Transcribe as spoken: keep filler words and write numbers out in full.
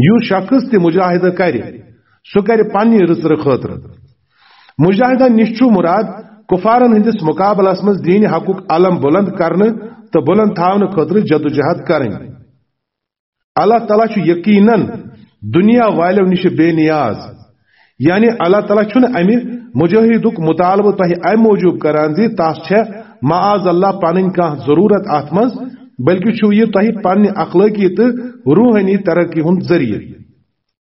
یُس شخص تہِ مجاہدٕ کرِ، سُہ کرِ پننہِ رٕژرٕ خٲطرٕ۔ مجاہدن نِش چھُ مراد کفارن ہٕنٛدِس مقابلس منٛز دین حقُک علم بلند کرنہٕ تہٕ بلند تھاونہٕ خٲطرٕ جدوجہد کرٕنۍ۔ اللہ تعالیٰ چھُ یقیناً دنیا والٮ۪و نِش بے نیاز۔ یعنی اللہ تعالیٰ چھُنہٕ امہِ مجاہدُک مطالبہٕ تۄہہِ امہِ موٗجوٗب کران زِ تس چھےٚ معاذ اللہ پنٕنۍ کانٛہہ ضروٗرت اتھ منٛز، بلکہِ چھُ یہِ تۄہہِ پننہِ اخلٲقی تہٕ روحٲنی ترقی ہُنٛد ذٔریعہٕ۔